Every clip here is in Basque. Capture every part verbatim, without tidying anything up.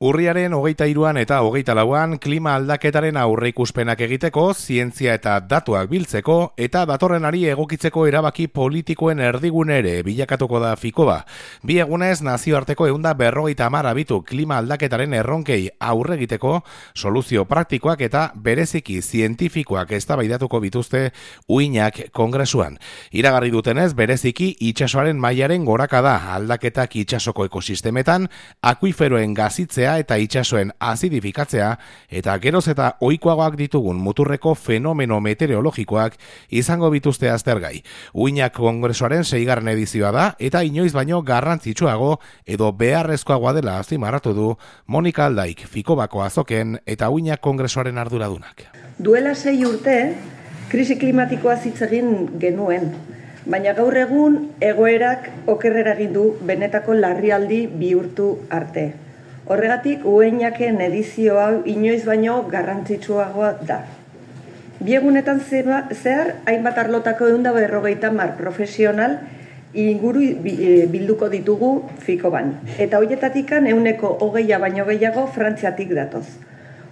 Urriaren hogeita hiruan eta hogeita lauan klima aldaketaren aurreikuspenak egiteko, zientzia eta datuak biltzeko eta datorrenari egokitzeko erabaki politikoen erdigune ere bilakatuko da Ficoba. Bi egunez nazioarteko ehunda berrogeita hamar abitu klima aldaketaren erronkei aurre egiteko soluzio praktikoak eta bereziki zientifikoak eztabaidatuko bituzte uinak kongresuan. Iragarri dutenez bereziki itsasoaren mailaren gorakada, aldaketak itsasoko ekosistemetan, akuiferoen gazitzea eta itsasoen azidifikatzea eta geroz eta ohikoagoak ditugun muturreko fenomeno meteorologikoak izango bituzte aztergai. Uinak kongresuaren seigarren edizioa da eta inoiz baino garrantzitsuago edo beharrezkoagoa dela azpimarratu du Monika Aldaik, Ficobako azoken eta Uinak kongresuaren arduradunak. Duela sei urte, krisi klimatikoa hitz egin genuen, baina gaur egun egoerak okerrera egin du benetako larrialdi bihurtu arte. Horregatik, Uinaken edizio hau inoiz baino garrantzitsuagoa da. Bi egunetan zehar, hainbat arlotako ehunda berrogeita hamar profesional inguru bilduko ditugu Ficoban. Eta horietatikan ehuneko hogeia baino gehiago Frantziatik datoz.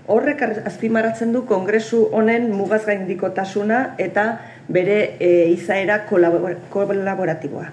Horrek azpimarratzen du kongresu honen mugazgaindikotasuna eta bere e, izaera kolaboratiboa.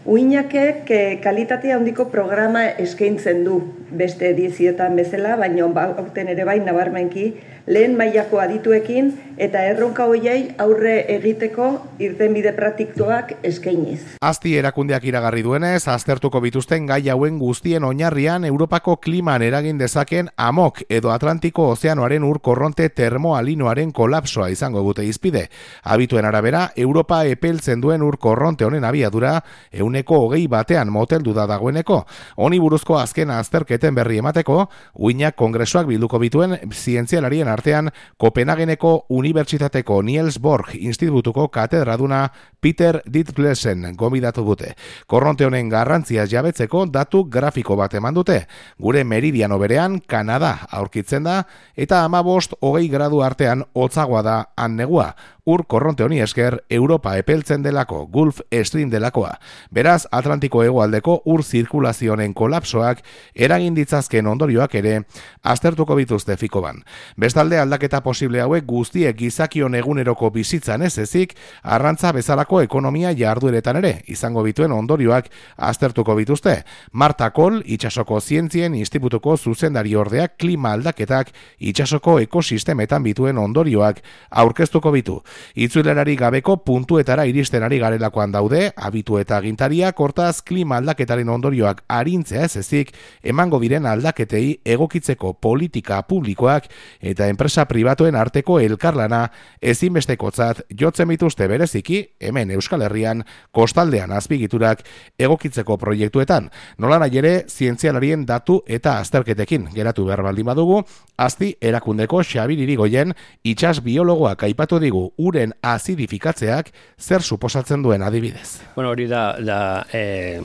Uinakek kalitatea handiko programa eskaintzen du beste edizioetan bezala, baina aurten ere bai nabarmenki lehen mailako adituekin eta erronka horiei aurre egiteko irtenbide praktikoak eskainiz. Asti erakundeak iragarri duenez, aztertuko bituzten gai hauen guztien oinarrian Europako kliman eragin dezaken amok edo Atlantiko ozeanoaren ur korronte termoalinoaren kolapsoa izango dute izpide. Abituen arabera, Europa epeltzen duen ur korronte honen abiadura ehuneko hogei batean moteldu da dagoeneko. Honi buruzko azken azterketen berri emateko, Uinak kongresuak bilduko bituen zientzialarien artean Kopenhageneko Unibertsitateko Niels Bohr Institutuko katedraduna Peter Ditflesen gomidatu dute. Korronte honen garrantziaz jabetzeko datu grafiko bat eman dute. Gure meridiano berean Kanada aurkitzen da eta hamabost hogei gradu artean hotzagoa da han negua. Ur korronte honi esker Europa epeltzen delako, Gulf Stream delakoa. Beraz, Atlantiko hegoaldeko ur zirkulazioen kolapsoak eragin ditzazken ondorioak ere aztertuko bituzte Ficoban. Bestalde aldaketa posible hauek guztiek gizakion eguneroko bizitzan ez ezik, arrantza bezalako ekonomia jardueretan ere izango bituen ondorioak aztertuko bituzte. Marta Kohl, itsasoko zientzien institutuko zuzendari ordeak klima aldaketak itsasoko ekosistemetan bituen ondorioak aurkeztuko bitu. Itzulerari gabeko puntuetara iristen ari garelakoan daude, abitu eta agintariak hortaz klima aldaketaren ondorioak arintzea ez ezik, emango diren aldaketei egokitzeko politika publikoak eta enpresa pribatuen arteko elkarlana ezinbestekotzat jotzen bituzte bereziki, hemen Euskal Herrian kostaldean azpigiturak egokitzeko proiektuetan. Nolanahi ere, zientzialarien datu eta azterketekin geratu behar baldin badugu, Asti erakundeko Xabir Irigoyen itsas biologoak aipatu digu uren azidifikatzeak zer suposatzen duen adibidez. Bueno, hori da, da e,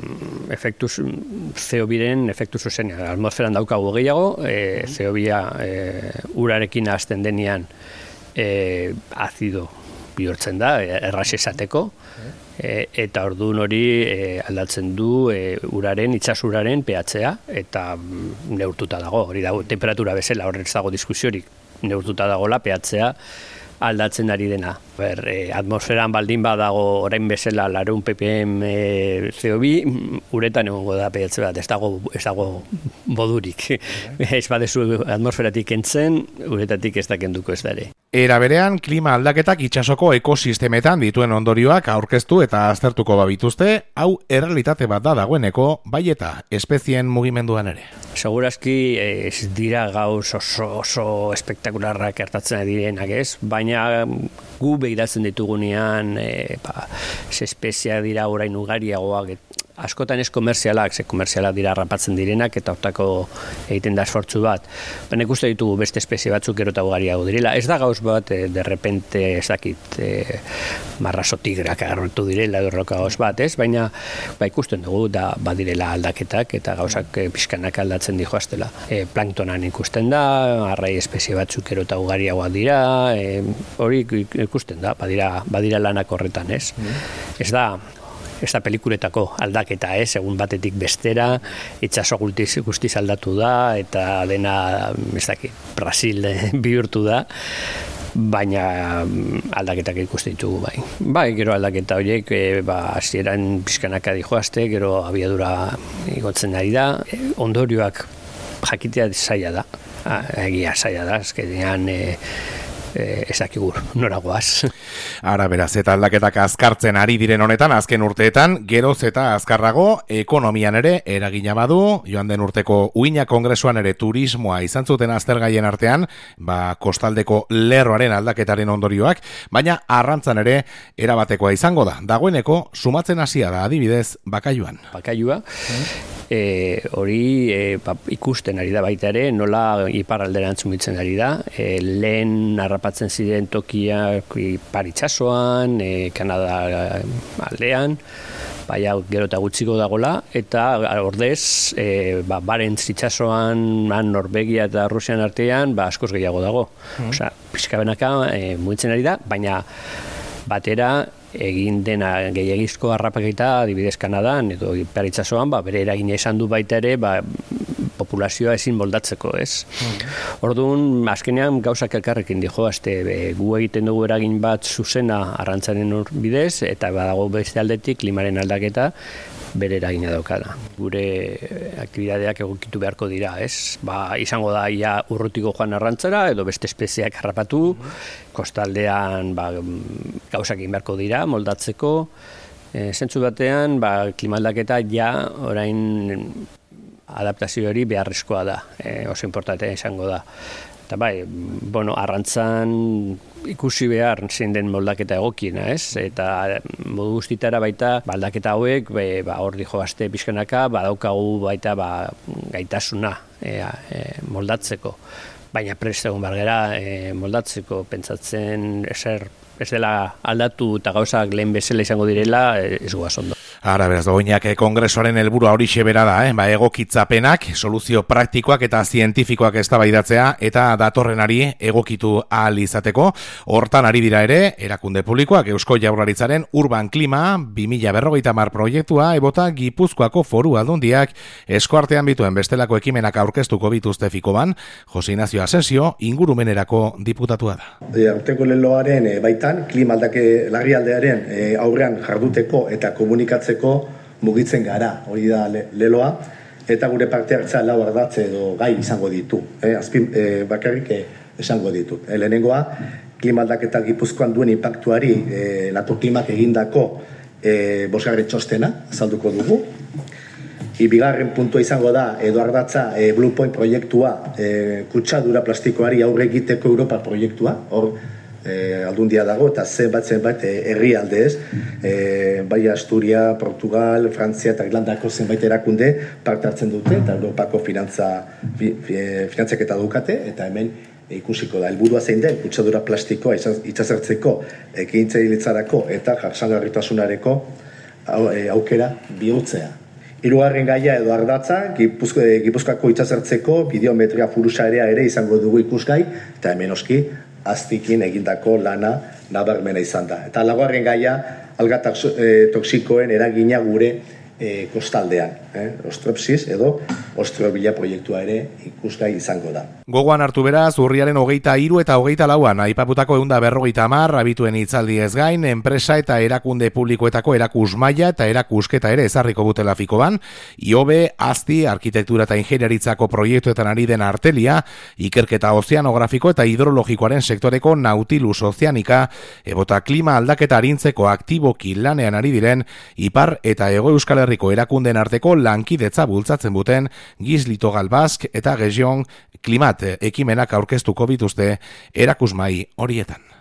efektu C O biren efektu zuzenean. Atmosferan daukagu gehiago, e, C O bia e, urarekin hasten denean e, azido bihurtzen da, erraz esateko, e, eta orduan hori e, aldatzen du e, uraren, itsasuraren pH-a eta neurtuta dago, hori dago temperatura bezala, horretz dago diskusiorik, neurtuta dagoela pH-a aldatzen ari dena. Ber, eh, atmosferan baldin badago orain bezala laurehun ppm eh, C O bi, uretan egongo da pH bat, ez dago, ez dago bodurik. Ez badezu atmosferatik kentzen, uretatik ez da kenduko ez da ere. Era berean, klima aldaketak itsasoko ekosistemetan dituen ondorioak aurkeztu eta aztertuko babituzte, hau errealitate bat da dagoeneko, bai eta espezien mugimenduan ere. Segurazki ez dira gauz oso, oso espektakularrak gertatzen direnak ez, baina gu begiratzen ditugunean, e, ba, espeziak dira orain ugariagoak, askotan ez komerzialak, ze komerzialak dira rapatzen direnak eta hortako egiten da esfortzu bat. Baina ikuste ditugu beste espezie batzuk gero eta ugariago direla. Ez da gauz bat, e, de repente, ez dakit, e, marraso tigrak agarrotu direla, dorroka gauz bat, ez? Baina ba, ikusten dugu da badirela aldaketak eta gauzak e, pixkanak aldatzen dijoaztela. E, planktonan ikusten da, arrai espezie batzuk gero eta ugariagoak dira, e, hori ikusten da, badira, badira lanak horretan, ez? Mm. Ez da, ez da pelikuletako aldaketa, ez, egun batetik bestera, itxaso guztiz, guztiz aldatu da, eta dena, ez dakit, Brasil bihurtu da, baina aldaketak ikusten ditugu bai. Bai, gero aldaketa horiek, e, ba, hasieran pizkanaka dijoazte, gero abiadura igotzen ari da, e, ondorioak jakitea zaila da, ha, egia zaila da, azkenean e, e, ezakigur noragoaz. Ara beraz, eta aldaketak azkartzen ari diren honetan, azken urteetan, geroz eta azkarrago, ekonomian ere eragina badu, joan den urteko Uina Kongresuan ere turismoa izan zuten aztergaien artean, ba, kostaldeko lerroaren aldaketaren ondorioak, baina arrantzan ere erabatekoa izango da. Dagoeneko, sumatzen hasia da, adibidez, Bakaiuan. Bakaiua, E, hori e, ba, ikusten ari da baita ere, nola iparralderantz mugitzen ari da, e, lehen harrapatzen ziren tokiak ipar itsasoan, e, Kanada aldean, baina gero eta gutxiko dagola, eta ordez, e, ba, Barents itsasoan, Norvegia eta Rusian artean, ba, askoz gehiago dago. Mm. Osea, pixkabenaka e, mugitzen ari da, baina batera, egin dena gehiagizko harrapaketa adibidez Kanadan edo ipar itsasoan, ba, bere eragina izan du baita ere, ba, populazioa ezin moldatzeko, ez? Mm. Orduan, azkenean gauzak elkarrekin dijo, azte, e, gu egiten dugu eragin bat zuzena arrantzaren bidez, eta badago beste aldetik klimaren aldaketa bere eragina daukada. Gure aktibidadeak egokitu beharko dira, ez? Ba, izango da ia urrutiko joan arrantzara, edo beste espeziak harrapatu, mm-hmm. Kostaldean ba, gauzak egin beharko dira, moldatzeko. E, zentzu batean, ba, klimaldaketa ja orain adaptazio hori beharrezkoa da, e, oso importantea izango da. Eta bai, bueno, arrantzan ikusi behar zein den moldaketa egokiena, ez? Eta modu guztitara baita, ba, aldaketa hauek, be, ba, hor dijo azte pixkanaka, badaukagu baita ba, gaitasuna e, e, moldatzeko. Baina prest egon bargera e, moldatzeko, pentsatzen ezer, ez dela aldatu eta gauzak lehen bezala izango direla, ez goaz ondo. Ara, beraz, Doinak kongresoaren helburua horixe bera da, eh? Ba, egokitzapenak, soluzio praktikoak eta zientifikoak eztabaidatzea eta datorrenari egokitu ahal izateko. Hortan ari dira ere, erakunde publikoak Eusko Jaurlaritzaren Urban Klima bi mila berrogeita hamar proiektua ebota Gipuzkoako Foru Aldundiak eskuartean bituen bestelako ekimenak aurkeztuko bituzte Fikoban, Jose Ignacio Asensio ingurumenerako diputatua da. Aurtengo leloaren e, baitan, klima aldake larrialdearen e, aurrean jarduteko eta komunikatzeko mugitzen gara, hori da leloa, eta gure parte hartzea lau ardatze edo gai izango ditu, eh? Azpin eh, bakarrik eh, esango ditu. Eh, lehenengoa, klima aldaketa Gipuzkoan duen inpaktuari eh, Natur Klimak egindako eh, bosgarren txostena azalduko dugu. Bigarren puntua izango da, edo ardatza eh, Blue Point proiektua, eh, kutsadura plastikoari aurre egiteko Europa proiektua, hor E, aldundia dago, eta zenbat zenbait herrialde ez, e, bai Asturia, Portugal, Frantzia eta Irlandako zenbait erakunde parte hartzen dute, eta Europako finantza, fi, fi, finantzaketa dukate, eta hemen e, ikusiko da, helburua zein den, kutsadura plastikoa itxasertzeko, ekintzailtzarako eta jasangarritasunareko e, aukera bihurtzea. Hirugarren gaia edo ardatza, Gipuzko, Gipuzkoako itxasertzeko bidiometria furusarea ere izango dugu ikusgai, eta hemen oski, aztikin egindako lana nabarmena izan da. Eta laugarren gaia, alga toxikoen eragina gure e, kostaldean. Eh? Ostropsis edo ostrobila proiektua ere ikusgai izango da. Gogoan hartu beraz, urriaren hogeita hiru eta hogeita lauan, aipaputako ehun eta berrogeita hamar, abituen hitzaldi ez gain, enpresa eta erakunde publikoetako erakusmaila eta erakusketa ere ezarriko dutela Fikoban, Iobe, Azti, arkitektura eta ingeniaritzako proiektuetan ari den artelia, ikerketa ozeanografiko eta hidrologikoaren sektoreko Nautilus Ozeanika, ebota klima aldaketa arintzeko aktiboki lanean ari diren, Ipar eta Hego Euskal Herriko erakunden arteko lankidetza bultzatzen buten Gizlito Galbask eta Region Klimat ekimenak aurkeztuko bituzte erakusmai horietan.